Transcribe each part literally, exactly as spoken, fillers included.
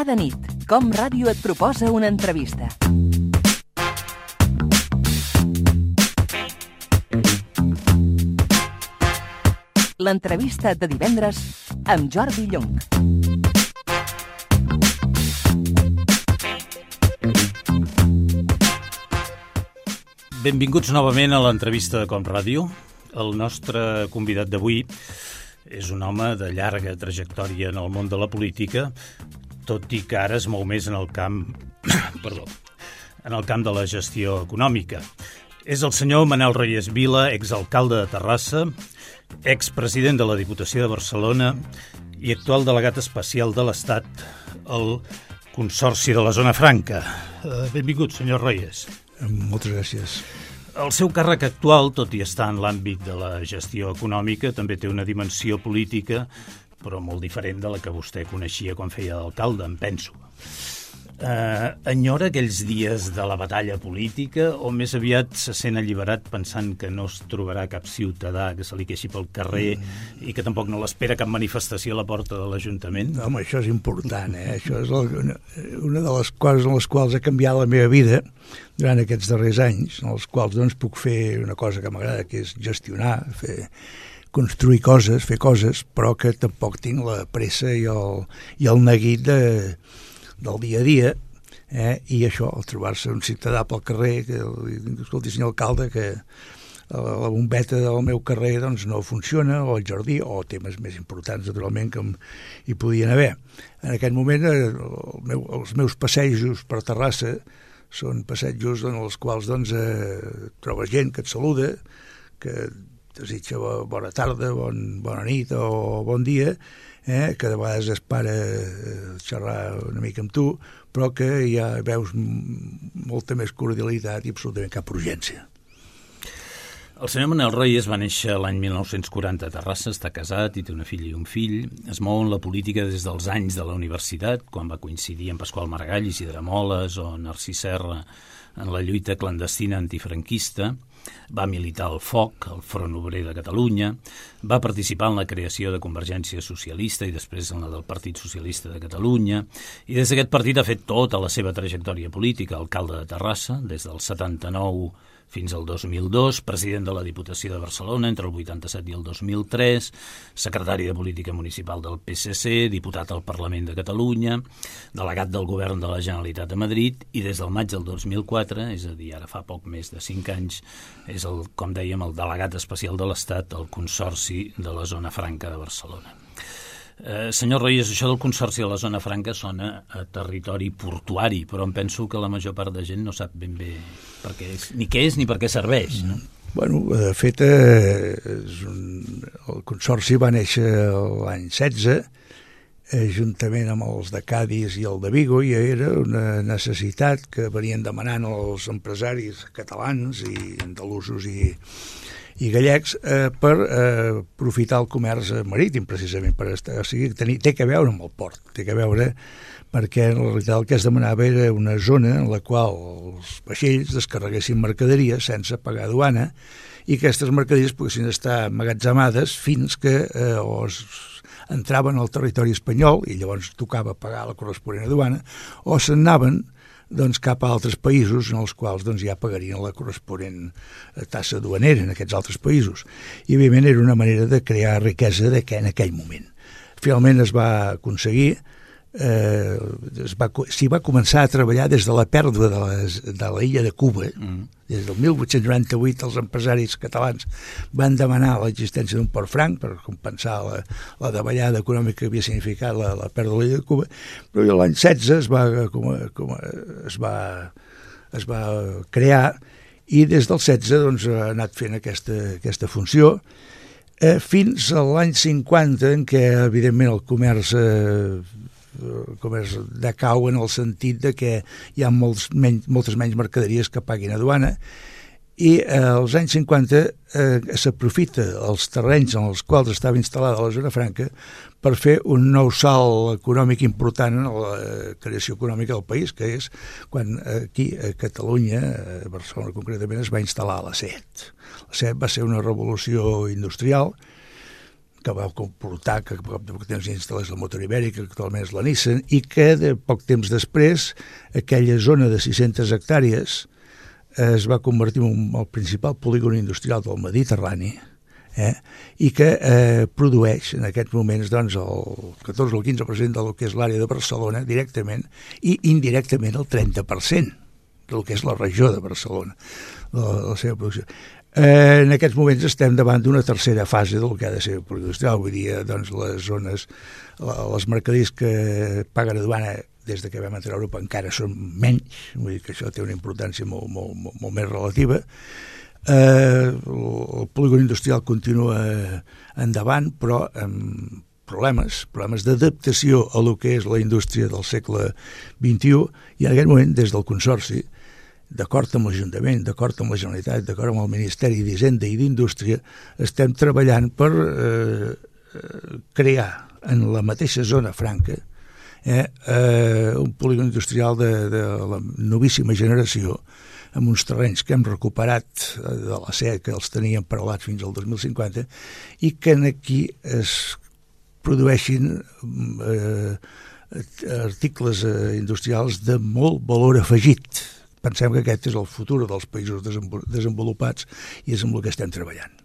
Cada nit, Com Ràdio et proposa una entrevista. L'entrevista de divendres amb Jordi Llong. Benvinguts novament a l'entrevista de Com Ràdio. El nostre convidat d'avui és un home de llarga trajectòria en el món de la política, tot i que ara es mou més en el camp, perdó, en el camp de la gestió econòmica. És el senyor Manel Reyes Vila, exalcalde de Terrassa, expresident de la Diputació de Barcelona i actual delegat especial de l'Estat al Consorci de la Zona Franca. Benvingut, senyor Reyes. Moltes gràcies. El seu càrrec actual, tot i estar en l'àmbit de la gestió econòmica, també té una dimensió política, però molt diferent de la que vostè coneixia quan feia d'alcalde, em penso. Eh, enyora aquells dies de la batalla política o més aviat se sent alliberat pensant que no es trobarà cap ciutadà que se li queixi pel carrer mm. i que tampoc no l'espera cap manifestació a la porta de l'Ajuntament? No, home, això és important, eh? Això és una, una de les coses en les quals ha canviat la meva vida durant aquests darrers anys, en els quals doncs, puc fer una cosa que m'agrada, que és gestionar, fer, construir coses, fer coses, però que tampoc tinc la pressa i el, i el neguit de, del dia a dia, eh? I això, el trobar-se un ciutadà pel carrer, que, escolti, senyor alcalde, que la bombeta del meu carrer doncs, no funciona, o el jardí, o temes més importants, naturalment, que hi podien haver. En aquest moment, el meu, els meus passejos per Terrassa són passejos en els quals doncs, eh, trobes gent que et saluda, que desitja bona tarda, bon, bona nit o bon dia, eh, que de vegades es para xerrar una mica amb tu, però que ja veus molta més cordialitat i absolutament cap urgència. El senyor Manel Reyes va néixer l'any mil nou-cents quaranta a Terrassa, està casat i té una filla i un fill. Es mou en la política des dels anys de la universitat, quan va coincidir amb Pasqual Maragall, Isidre Moles o Narcís Serra en la lluita clandestina antifranquista. Va militar al Foc, al Front Obrer de Catalunya, va participar en la creació de Convergència Socialista i després en la del Partit Socialista de Catalunya, i des d'aquest partit ha fet tota la seva trajectòria política, alcalde de Terrassa, des del setanta-nou fins al dos mil dos, president de la Diputació de Barcelona entre el vuitanta-set i el dos mil tres, secretari de Política Municipal del P S C, diputat al Parlament de Catalunya, delegat del Govern de la Generalitat a Madrid i des del maig del dos mil quatre, és a dir, ara fa poc més de cinc anys, és, el, com dèiem, el delegat especial de l'Estat al Consorci de la Zona Franca de Barcelona. Eh, senyor Reyes, això del Consorci de la Zona Franca sona a territori portuari, però em penso que la major part de gent no sap ben bé per què és, ni què és ni per què serveix, no? Bueno, de fet, eh, és un, el Consorci va néixer l'any setze, eh, juntament amb els de Cadis i el de Vigo, i era una necessitat que venien demanant els empresaris catalans i andalusos i i gallecs eh, per eh, aprofitar el comerç marítim, precisament, per estar, o sigui, tenir, té que veure amb el port, té que veure perquè en realitat el que es demanava era una zona en la qual els vaixells descarreguessin mercaderies sense pagar duana i que aquestes mercaderies poguessin estar emmagatzemades fins que eh, o es entraven al territori espanyol i llavors tocava pagar la corresponent duana o se'n anaven doncs, cap a altres països en els quals doncs, ja pagarien la corresponent tassa duanera en aquests altres països. I, evidentment, era una manera de crear riquesa de que en aquell moment. Finalment es va aconseguir, eh, es va, s'hi va començar a treballar des de la pèrdua de, les, de la illa de Cuba. Mm. Des del mil vuit-cents noranta-vuit els empresaris catalans van demanar l'existència d'un port franc per compensar la, la davallada econòmica que havia significat la, la pèrdua de l'illa de Cuba, però l'any setze es va, com, com, es va, es va crear i des del setze doncs, ha anat fent aquesta, aquesta funció eh, fins a l'any cinquanta en què evidentment el comerç eh, el comerç decau en el sentit de que hi ha molts menys, moltes menys mercaderies que paguin a duana i eh, als anys cinquanta eh, s'aprofita els terrenys en els quals estava instal·lada la Zona Franca per fer un nou salt econòmic important en la creació econòmica del país, que és quan aquí a Catalunya, a Barcelona concretament, es va instal·lar la SEAT. La SEAT va ser una revolució industrial que va comportar que a poc de poc temps instal·lés la motor ibèrica, que actualment és la Nissan, i que de poc temps després aquella zona de sis-centes hectàrees es va convertir en el principal polígon industrial del Mediterrani, eh? i que eh, produeix en aquests moments doncs, el catorze o el quinze per cent del que és l'àrea de Barcelona directament i indirectament el trenta per cent del que és la regió de Barcelona, la, la seva producció. Eh, en aquests moments estem davant d'una tercera fase del que ha de ser el polígon industrial. Avui dia doncs, les zones, les mercaders que paguen aduana des de que vam entrar a Europa encara són menys, vull dir que això té una importància molt, molt, molt, molt més relativa. Eh, el polígon industrial continua endavant, però amb problemes, problemes d'adaptació a lo que és la indústria del segle vint-i-u, i en aquest moment, des del Consorci, d'acord amb l'Ajuntament, d'acord amb la Generalitat, d'acord amb el Ministeri d'Hisenda i d'Indústria, estem treballant per eh, crear en la mateixa zona franca eh, eh, un polígon industrial de, de la novíssima generació, amb uns terrenys que hem recuperat de la S E A, que els teníem paralats fins al dos mil cinquanta, i que aquí es produeixin eh, articles eh, industrials de molt valor afegit. Pensem que aquest és el futur dels països desenvolupats i és amb el que estem treballant.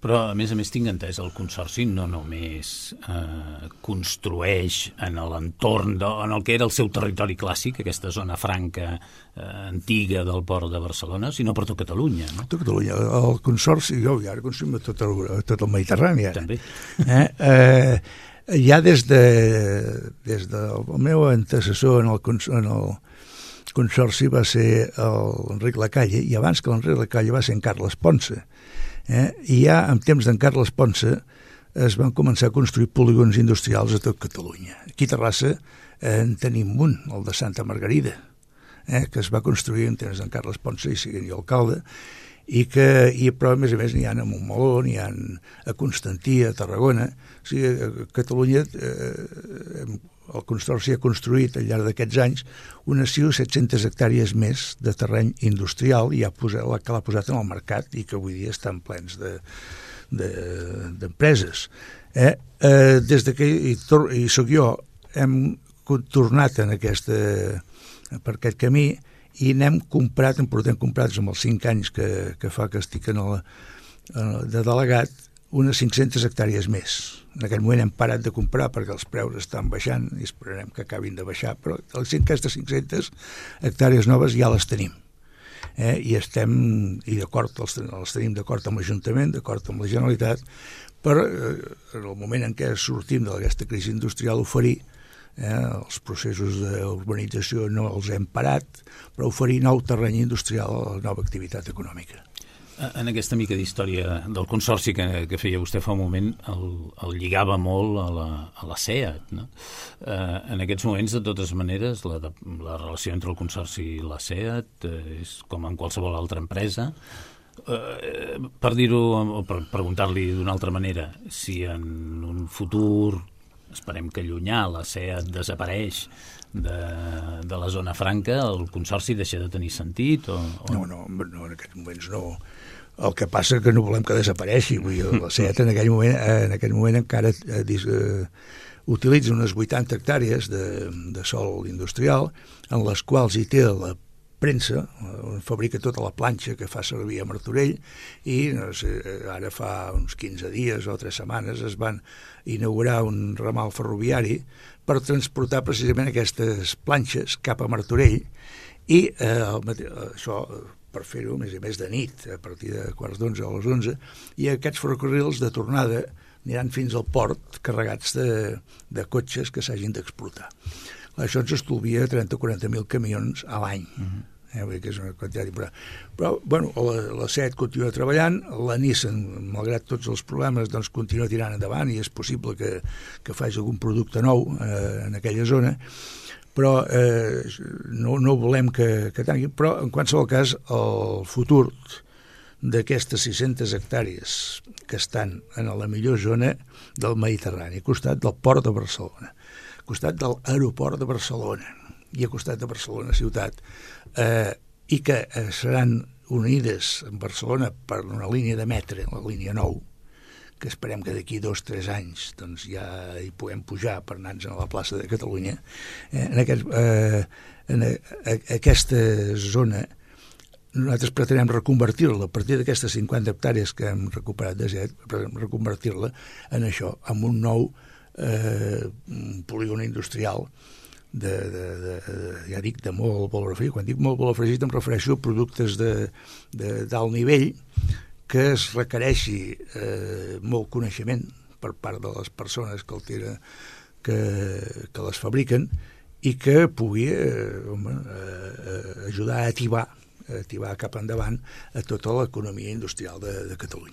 Però, a més a més, tinc entès, el Consorci no només eh, construeix en l'entorn, de, en el que era el seu territori clàssic, aquesta zona franca eh, antiga del port de Barcelona, sinó per tot Catalunya, no? Tot Catalunya. El Consorci, jo ja ara construïm tot el, tot el Mediterrani. Ara. També. Eh? Eh, ja des, de, des del meu antecessor en el, en el Consorci va ser l'Enric Lacalle, i abans que l'Enric Lacalle va ser en Carles Ponce. Eh? I ja en temps d'en Carles Ponce es van començar a construir polígons industrials a tot Catalunya. Aquí a Terrassa eh, en tenim un, el de Santa Margarida, eh? que es va construir en temps d'en Carles Ponce i siguent jo alcalde, i que, i, però a més a més n'hi ha a Montmeló, n'hi ha a Constantí, a Tarragona. O sigui, a Catalunya eh, el Consorci ha construït al llarg d'aquests anys unes sis o set-centes hectàrees més de terreny industrial i ha posat, que l'ha posat en el mercat i que avui dia estan plens de, de, d'empreses. Eh? Eh, des de que hi, hi soc jo, hem tornat en aquesta, per aquest camí i n'hem comprat, en portem comprats amb els cinc anys que, que fa que estic en el, de delegat, unes cinc-centes hectàrees més. En aquell moment hem parat de comprar perquè els preus estan baixant i esperarem que acabin de baixar, però aquestes cinc-centes hectàrees noves ja les tenim. Eh? I estem, i d'acord, els, els tenim d'acord amb l'Ajuntament, d'acord amb la Generalitat, per eh, en el moment en què sortim d'aquesta crisi industrial oferir eh, els processos d'urbanització no els hem parat, però oferir nou terreny industrial a la nova activitat econòmica. En aquesta mica d'història del Consorci que, que feia vostè fa un moment, el, el lligava molt a la, a la S E A, no? Eh, en aquests moments, de totes maneres, la, la relació entre el Consorci i la S E A eh, és com en qualsevol altra empresa. Eh, per dir-ho, o per preguntar-li d'una altra manera, si en un futur, esperem que llunyà, la S E A desapareix de, de la zona franca, el Consorci deixa de tenir sentit? O, o... No, no, no, en aquests moments no. El que passa que no volem que desapareixi. Vull dir, la S E A en aquell moment, en aquell moment encara eh, eh, utilitza unes vuitanta hectàrees de, de sòl industrial, en les quals hi té la premsa, on fabrica tota la planxa que fa servir a Martorell, i no sé, ara fa uns quinze dies o tres setmanes es van inaugurar un ramal ferroviari per transportar precisament aquestes planxes cap a Martorell, i eh, això per fer-ho, a més a més, de nit, a partir de quarts d'onze a les onze, i aquests ferrocarrils de tornada aniran fins al port carregats de, de cotxes que s'hagin d'explotar. Això ens estolvia trenta o quaranta mil camions a l'any. Uh-huh. Eh, que és una quantitat important. Però, bueno, la, la S E A continua treballant, la Nissan, malgrat tots els problemes, doncs continua tirant endavant i és possible que, que faci algun producte nou eh, en aquella zona, però eh, no, no volem que, que tanqui. Però, en qualsevol cas, el futur d'aquestes sis-centes hectàrees que estan en la millor zona del Mediterrani, al costat del port de Barcelona, al costat de l'aeroport de Barcelona i al costat de Barcelona ciutat, eh, i que eh, seran unides en Barcelona per una línia de metre, la línia nou, que esperem que d'aquí dos o tres anys doncs, ja hi puguem pujar per anar-nos a la plaça de Catalunya. Eh, en, aquest, eh, en a, a, aquesta zona nosaltres pretenem reconvertir-la a partir d'aquestes cinquanta hectàrees que hem recuperat de set, reconvertir-la en això, en un nou eh, polígon industrial de, de, de, de, ja dic, de molt valor afegit. Quan dic molt valor afegit em refereixo a productes de, de d'alt nivell que es requereixi eh, molt coneixement per part de les persones que, el tira, que, que les fabriquen i que pugui eh, home, eh, ajudar a ativar ativar cap endavant a tota l'economia industrial de, de Catalunya.